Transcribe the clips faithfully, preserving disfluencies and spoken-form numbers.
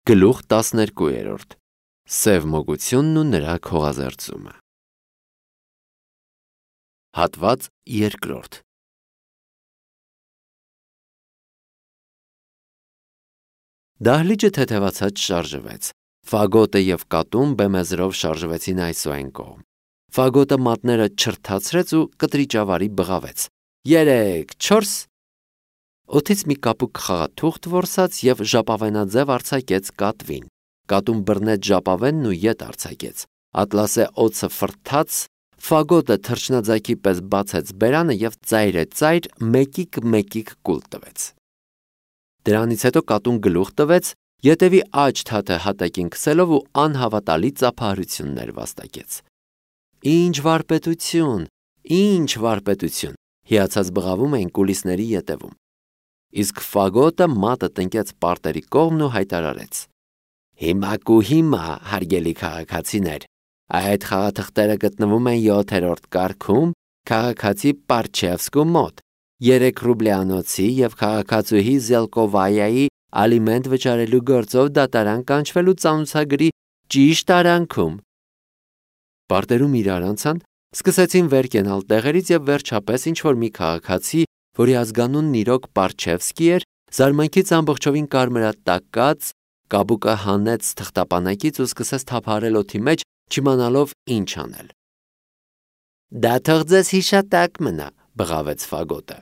Գլուխ տասներկուերորդ Սև մոգությունն ու նրա քողազերծումը Հատված երկրորդ Դահլիճը թեթևացած շարժվեց։ Ֆագոտը և կատուն բեմեզրով շարժվեցին այս ու այն կողմ։ Ֆագոտը մատները չրթացրեց ու կտրիճավարի բղավեց. Երեք, չորս։ Օդից մի կապուկ խաղաթուղթ որսաց և ժապավենաձև արձակեց կատվին։ Կատուն բռնեց ժապավենն ու ետ արձակեց։ Ատլասե օձը ֆռթաց, Ֆագոտը թռչնաձագի պես բացեց բերանը և ծայրեծայր մեկիկ-մեկիկ կուլ տվեց։ Դրանից հետո կատուն գլուխ տվեց, ետևի աջ թաթը հատակին քսելով ու անհավատալի ծափահարություններ վաստակեց։ Ինչ վարպետություն, ինչ վարպետություն, հիացած բղավում էին կուլիսների ետևում։ Իսկ Ֆագոտը մատը տնկեց պարտերի կողմն ու հայտարարեց. Հիմա կու հիմա, հարգելի քաղաքացիներ, այդ խաղաթղթերը գտնվում են յոթերորդ կարգում քաղաքացի Պարչևսկու մոտ, երեք ռուբլյանոցի և քաղաքացուհի Զելկովայայի ալիմենտ վճարելու գործով դատարան կանչվելու ծանուցագրի ճիշտ արանքում։ Պարտերում իրար անցան, սկսեցին վեր կենալ տեղերից և վերջապես ինչ-որ մի քաղաքացի, որի ազգանունն իրոք Պարչևսկի էր, զարմանքից ամբողջովին կարմրատակած, կապուկը հանեց թղթապանակից ու սկսեց թափահարել օդի մեջ, չիմանալով ինչ անել։ Դա թող ձեզ հիշատակ մնա, բղավեց Ֆագոտը։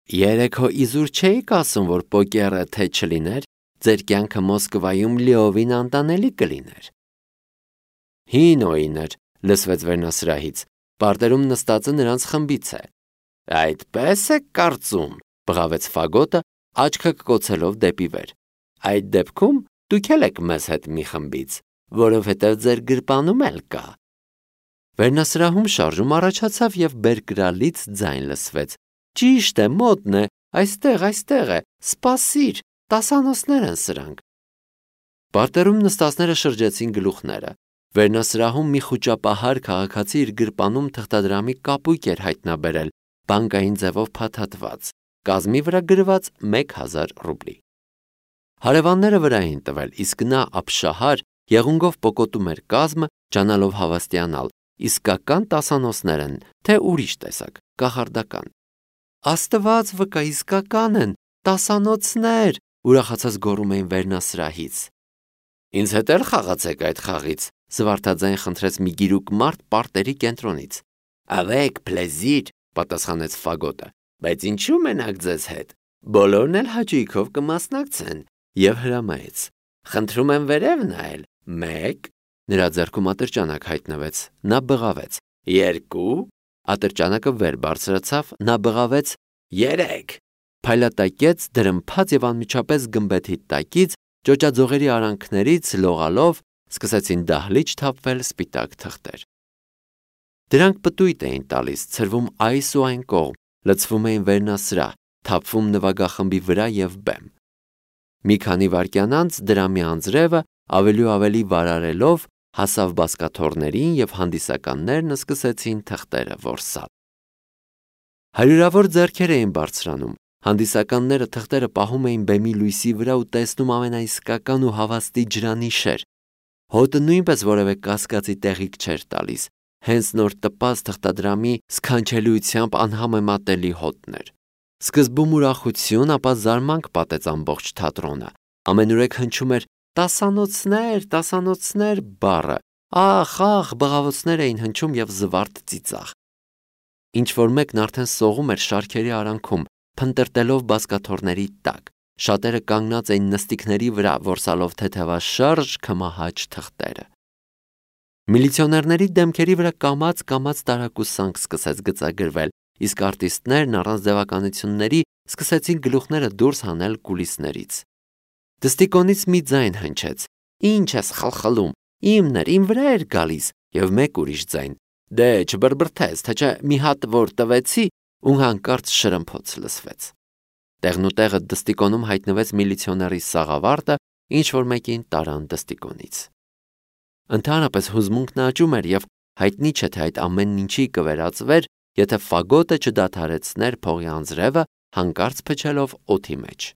Երեկ հո իզուր չէիք ասում, որ պոկերը թե չլիներ, ձեր կյանքը Մոսկվայում լիովին անտանելի կլիներ։ Հին օին էր, լսվեց վերնասրահից, պարտերում նստածը նրանց խմբից է։ Այդպես եք կարծում, բղավեց Ֆագոտը, աչքը կկոցելով դեպի վեր։ Այդ դեպքում դուք էլ եք մեզ հետ մի խմբից, որովհետև ձեր գրպանում էլ կա։ Վերնասրահում շարժում առաջացավ և բերկրալից ձայն լսվեց. Ճիշտ է, մոտն է, այստեղ, այստեղ է, սպասիր, տասանոցներ են սրանք։ Պարտերում նստածները շրջեցին գլուխները։ Վերնասրահում մի խուճապահար քաղաքացի իր գրպանում թղթադրամի կապույտ էր հայտնաբերել, բանկային ձևով փաթաթված, կազմի վրա գրված մեկ հազար ռուբլի։ Հարևանները վրա էին տվել, իսկ նա ապշահար եղունգով պոկոտում էր կազմը, ջանալով հավաստիանալ, իսկական տասանոցներ են, թե ուրիշ տեսակ, կախարդական։ Աստված վկա, իսկական են, տասանոցներ, ուրախացած գոռում էին վերնասրահից։ Ինձ հետ էլ խաղացեք այդ խաղից, զվարթաձայն խնդրեց մի գիրուկ մարդ պարտերի կենտրոնից։ Avec plaisir, պատասխանեց Ֆագոտը, բայց ինչու մենակ ձեզ հետ, բոլորն էլ հաճույքով կմասնակցեն, և հրամայեց. Խնդրում եմ վերև նայել, մեկ, նրա ձեռքում ատրճանակ հայտնվեց, նա բղավեց, երկու, ատրճանակը վեր բարձրացավ, նա բղավեց, երեք, փայլատակեց, դրմփաց և անմիջապես գմբեթի տակից, ճոճաձողերի արանքներից լողալով սկսեցին դահլիճ թափվել սպիտակ թղթեր։ Դրանք պտույտ էին տալիս, ցրվում այս ու այն կողմ, լցվում էին վերնասրահ, թափվում նվագախմբի վրա և բեմ։ Մի քանի վայրկյան անց դրամի անձրևը ավելի ու ավելի վարարելով հասավ բազկաթոռներին և հանդիսականներն սկսեցին թղթերը որսալ։ Հարյուրավոր ձեռքեր էին բարձրանում, հանդիսականները թղթերը պահում էին բեմի լույսի վրա ու տեսնում ամենաիսկական ու հավաստի ջրանիշեր։ Հոտը նույնպես որևէ կասկածի տեղիք չէր տալիս, հենց նոր տպած թղթադրամի սքանչելիությամբ անհամեմատելի հոտն էր։ Սկզբում ուրախություն, ապա զարմանք պատեց ամբողջ թատրոնը։ Ամենուրեք հնչում էր տասանոցներ, տասանոցներ բառը, ախ, ախ, բղավոցներ էին հնչում և զվարթ ծիծաղ։ Ինչ-որ մեկն արդեն սողում էր շարքերի արանքում, փնտրտելով բազկաթոռների տակ, շատերը կանգնած էին նստիկների վրա, որսալով թեթևաշարժ քմահաճ թղթերը։ Միլիցիոներների դեմքերի վրա կամաց-կամաց տարակուսանք սկսեց գծագրվել, իսկ արտիստներն առանց ձևականությունների սկսեցին գլուխները դուրս հանել կուլիսներից։ Դստիկոնից մի ձայն հնչեց. Ինչ ես խլխլում, իմն էր, իմ վրա էր գալիս, և մեկ ուրիշ ձայն. Դե չբրբրթես, թե չէ մի հատ որ տվեցի, ու հանկարծ շրմփոց լսվեց։ Տեղնուտեղը դստիկոնում հայտնվեց միլիցիոների սաղավարտը, ինչ-որ մեկին տարան դստիկոնից։ Ընդհանրապես հուզմունքն աճում էր և հայտնի չէ, թե այդ ամեն ինչի կվերածվեր, եթե Ֆագոտը չդադարեցներ փողի անձրևը, հանկարծ փչելով օդի մեջ։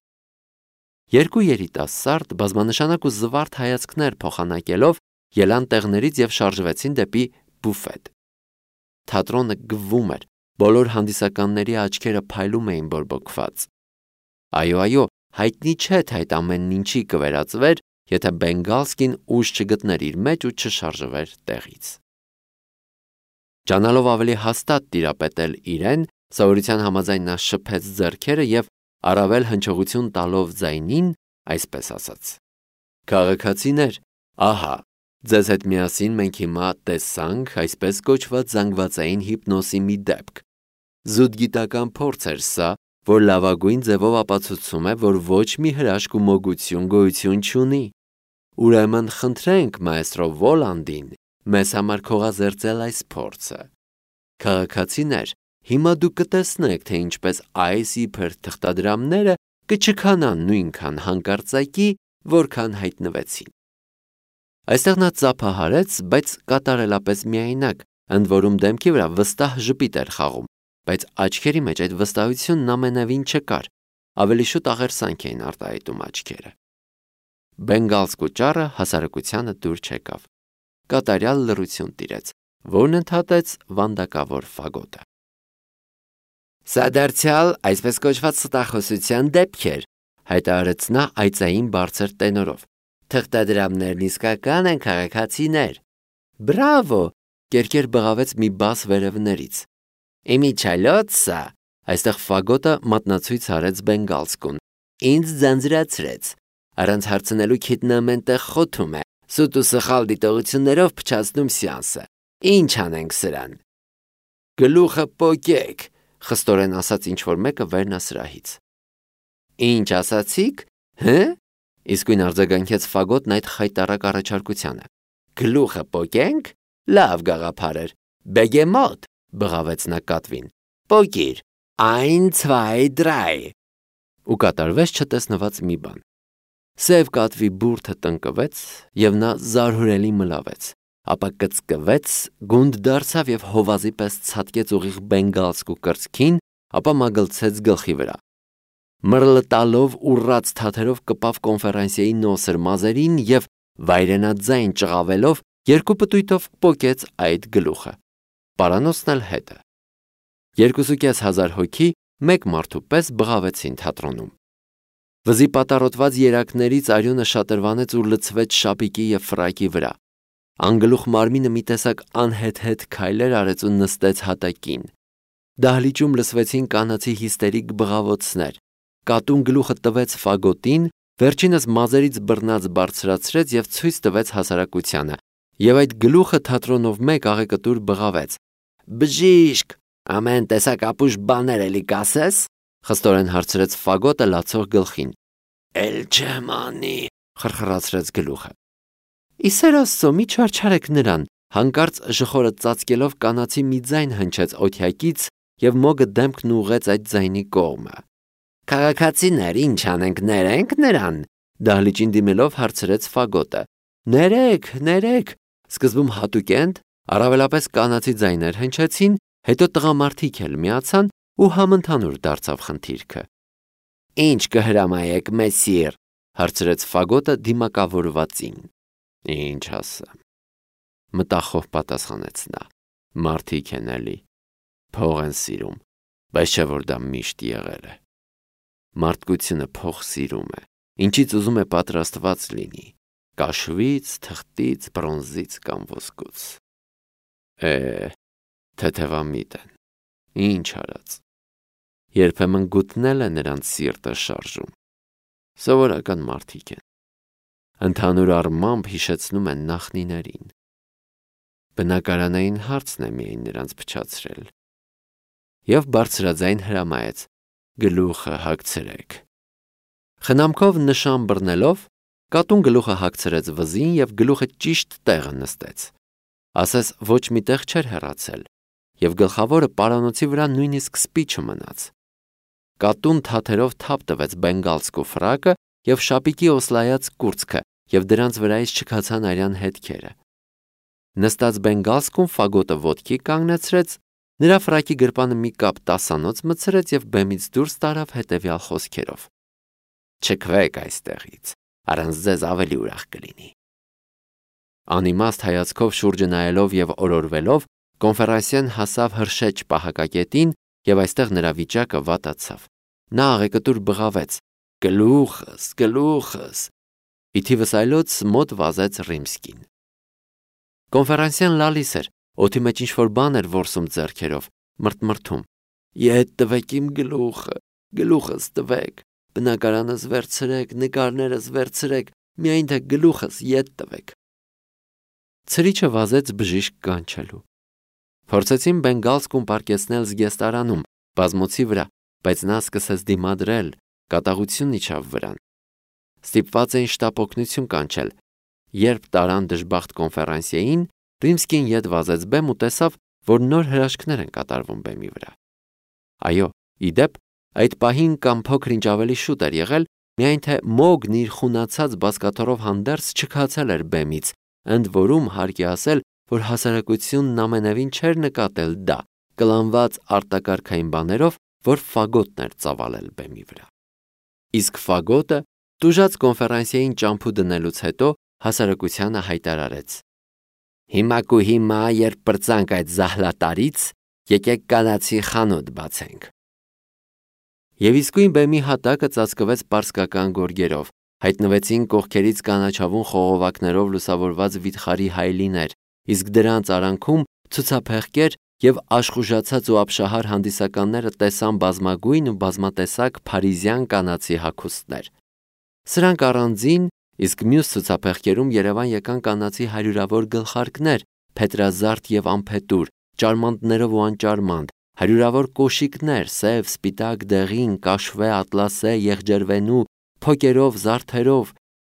Երկու երիտասարդ բազմանշանակ ու զվարթ հայացքներ փոխանակելով ելան տեղներից եւ շարժվեցին դեպի բուֆետ։ Թատրոնը գվում էր, բոլոր հանդիսականների աչքերը փայլում էին բորբոքված։ Այո, այո, հայտնի չէ, թե այդ ամենն ինչի կվերածվեր, եթե Բենգալսկին ուժ չգտներ իր մեջ ու չշարժվեր տեղից։ Ճանալով ավելի հաստատ տիրապետել իրեն, սովորության համաձայն նա շփեց ձեռքերը եւ առավել հնչողություն տալով ձայնին, այսպես ասաց. Քաղաքացիներ, ահա, ձեզ հետ միասին մենք հիմա տեսանք այսպես կոչված զանգվածային հիպնոսի մի դեպք։ Զուտ գիտական փորձ էր սա, որ լավագույն ձևով ապացուցում է, որ ոչ մի հրաշք ու մոգություն գոյություն չունի։ Ուրեմն խնդրենք մայստրո Վոլանդին մեզ համար քողազերծել այս փորձը։ Քաղաքացիներ, հիմա դուք կտեսնեք, թե ինչպես այս իբր թղթադրամները կչքանան նույնքան հանկարծակի, որքան հայտնվեցին։ Այստեղ նա ծափահարեց, բայց կատարելապես միայնակ, ընդ որում դեմքի վրա վստահ ժպիտ էր խաղում, բայց աչքերի մեջ այդ վստահությունն ամենևին չկար, ավելի շուտ աղերսանք էին արտահայտում աչքերը։ Բենգալսկու ճառը հասարակությանը դուր չեկավ։ Կատարյալ լռություն տիրեց, որն ընդհատեց վանդակավոր ֆագոտը։ Սա դարձյալ այսպես կոչված ստախոսության դեպք էր, հայտարարեց նա այծային բարձր տենորով։ Թղթադրամներն իսկական են, քաղաքացիներ։ Բրավո, կերկեր բղավեց մի բաս վերևներից։ Իմիջալոցը, այստեղ ֆագոտը մատնացույց արեց Բենգալսկուն։ Ինձ ձանձրացրեց։ Առանց հարցնելու քիտնամենտեղ խոթում է, սուտ ու սխալ դիտողություններով փչացնում սյանսը։ Ինչ անենք սրան։ Գլուխը պոկեք, խստորեն ասաց ինչ-որ մեկը վերնասրահից։ Ինչ ասացիք, հը՞։ Իսկույն արձագանքեց ֆագոտն այդ խայտառակ առաջարկությանը։ Գլուխը պոկենք, լավ գաղափար էր։ Բեգեմոտ, բղավեց նա կատվին։ Պոկիր, ein, zwei, drei։ Ու կատարվեց չտեսնված մի բան։ Սև կատվի բուրդը տնկվեց եւ նա զարհուրելի մլավեց, ապա կծկվեց, գունդ դարձավ եւ հովազի պես ցատկեց ուղիղ Բենգալսկու կրծքին, ապա մագլցեց գլխի վրա։ Մռլտալով ուռած թաթերով կպավ կոնֆերանսիայի նոսր մազերին եւ վայրենաձայն ճղավելով երկու պտույտով պոկեց այդ գլուխը։ Պարանոցն էլ հետը։ Երկուսուկես հազար հոգի մեկ մարդու պես բղավեցին թատրոնում։ Վզի պատառոտված երակներից արյունը շատրվանեց ու լցվեց շապիկի եւ ֆրակի վրա։ Անգլուխ մարմինը մի տեսակ անհետ-հետ քայլեր արեց ու նստեց հատակին։ Դահլիճում լսվեցին կանացի հիստերիկ բղավոցներ։ Կատուն գլուխը տվեց ֆագոտին, վերջինս մազերից բռնած բարձրացրեց եւ ցույց տվեց հասարակությանը, եւ այդ գլուխը թատրոնով մեկ աղեկտուր բղավեց։ Բժիշկ, ամեն տեսակ ապուշ բաներ էլի կասես, խստորեն հարցրեց ֆագոտը լացող գլխին։ Էլ չեմ անի, խրխրացրեց գլուխը։ Իսեր Աստծո, մի չարչարեք նրան, հանկարծ ժխորը ծածկելով կանացի մի ձայն հնչեց օթյակից եւ մոգը դեմքն ուղեց այդ ձայնի կողմը։ Քաղաքացիներ, ինչ անենք, ներենք նրան, դահլիճին դիմելով հարցրեց ֆագոտը։ Ներեք, ներեք, սկզբում հատուկենտ, առավելապես կանացի ձայներ հնչեցին, հետո տղամարդիկ էլ միացան ու համընդհանուր դարձավ խնդիրքը։ Ինչ կհրամայեք, մեսիր, հարցրեց ֆագոտը դիմակավորվածին։ Ինչ ասեմ։ Մտախով պատասխանեց նա։ Մարդիկ են էլի, փող են սիրում, բայց չէ որ դա միշտ եղել է։ Մարդկությունը փող սիրում է, ինչից ուզում է պատրաստված լինի, կաշվից, թղթից, բրոնզից կամ ոսկուց։ Է, թեթևամիտ են, ինչ արած։ Երբեմն գուտնել է նրանց սիրտը շարժում։ Սովորական մարդիկ են։ Ընդհանուր առմամբ հիշեցնում են նախնիներին։ Բնակարանային հարցն է միայն նրանց փչացրել։ Եվ բարձրաձայն հրամայեց. գլուխը հագցրեք։ Խնամքով նշան բռնելով, կատուն գլուխը հագցրեց վզին եւ գլուխը ճիշտ տեղը նստեց։ Ասես ոչ մի տեղ չէր հեռացել, եւ գլխավորը պարանոցի վրա նույնիսկ սպի չմնաց։ Կատուն թաթերով թափ տվեց Բենգալսկու ֆրակը եւ շապիկի օսլայած կուրծքը եւ դրանց վրայից չքացան արյան հետքերը։ Նստած Բենգալսկուն ֆագոտը ոտքի կանգնեցրեց, նրա ֆրակի գրպանը մի կապ տասանոց մցրեց եւ բեմից դուրս տարավ հետեւյալ խոսքերով. Չքվեք այստեղից, առանց ձեզ ավելի ուրախ կլինի։ Անիմաստ հայացքով շուրջը նայելով եւ օրորվելով, Կոնֆերանսիան հասավ հրշեջ պահակակետին եւ այստեղ նրա վիճակը վատացավ։ Նա աղեկտուր բղավեց. «Գլուխս, գլուխս»։ Ի թիվս այլոց մոտ վազեց Ռիմսկին։ Կոնֆերանսիան լալիս էր, օդի մեջ ինչ-որ բան էր որսում ձեռքերով, մրթմրթում. «Ետ տվեք իմ գլուխը, գլուխս տվեք, բնակարանս վերցրեք, նկարներս վերցրեք, միայն թե գլուխս ետ տվեք»։ Ցրիչը վազեց բժիշկ կանչելու։ Փորձեցին բենգալսկուն պարկեցնել զգեստարանում, բազմոցի վրա, բայց նա սկսեց դիմադրել, կատաղություն իջավ վրան։ Ստիպված էին շտապ օգնություն կանչել։ Երբ տարան դժբախտ կոնֆերանսիային, Ռիմսկին ետ վազեց բեմ ու տեսավ, որ նոր հրաշքներ են կատարվում բեմի վրա։ Այո, ի դեպ, այդ պահին կամ փոքր-ինչ ավելի շուտ էր եղել, միայն թե Մոգն իր խունացած բազկաթոռով հանդերձ չքացել էր բեմից, ընդ որում հարկ է ասել, որ հասարակությունն ամենևին չէր նկատել դա, կլանված արտակարգային բաներով, որ ֆագոտն էր ծավալել բեմի վրա։ Իսկ ֆագոտը տուժած կոնֆերանսիային ճամփու դնելուց հետո հասարակությանը հայտարարեց. «Հիմա կու հիմա, երբ պրծանք այդ զահլատարից, եկեք կանացի խանութ բացենք»։ Եվ իսկույն բեմի հատակը ծածկվեց պարսկական գորգերով, հայտնվեցին կողքերից կանաչավուն խողովակներով լուսավորված վիթխարի հայելիներ, իսկ դրանց արանքում ցուցափեղկեր եւ աշխուժացած ու ապշահար հանդիսականները տեսան բազմագույն ու բազմատեսակ փարիզյան կանացի հագուստներ։ Սրանք առանձին, իսկ մյուս ցուցափեղկերում Երևան եկան կանացի հարյուրավոր գլխարկներ, փետրազարդ եւ անփետուր, ճարմանտներով ու անճարմանտ, հարյուրավոր կոշիկներ, սև, սպիտակ, դեղին, կաշվե, ատլասե, եղջերվենու, փոկերով, զարդերով։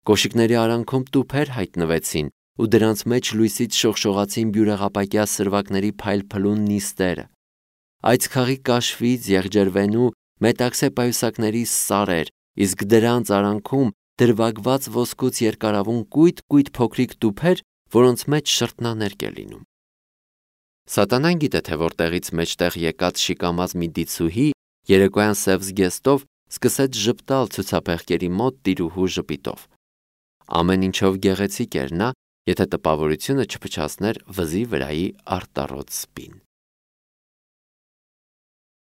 Կոշիկների արանքում տուփեր հայտնվեցին, ու դրանց մեջ լույսից շողշողացին բյուրեղապակյա սրվակների փայլփլուն նիստերը։ Այծքաղի կաշվից, եղջերվենու, մետաքսե պայուսակների սարեր, իսկ դրանց արանքում դրվագված ոսկուց երկարավուն կույտ-կույտ փոքրիկ տուփեր, որոնց մեջ շրթնաներկ է լինում։ Սատանան գիտե, թե որտեղից մեջտեղ եկած շիկամած մի դիցուհի երեկոյան սև զգեստով սկսեց ժպտալ ցուցափեղկերի մոտ տիրուհու ժպիտով։ Ամեն ինչով գեղեցիկ էր նա, եթե տպավորությունը չփչացներ վզի վրայի արտառոց սպին։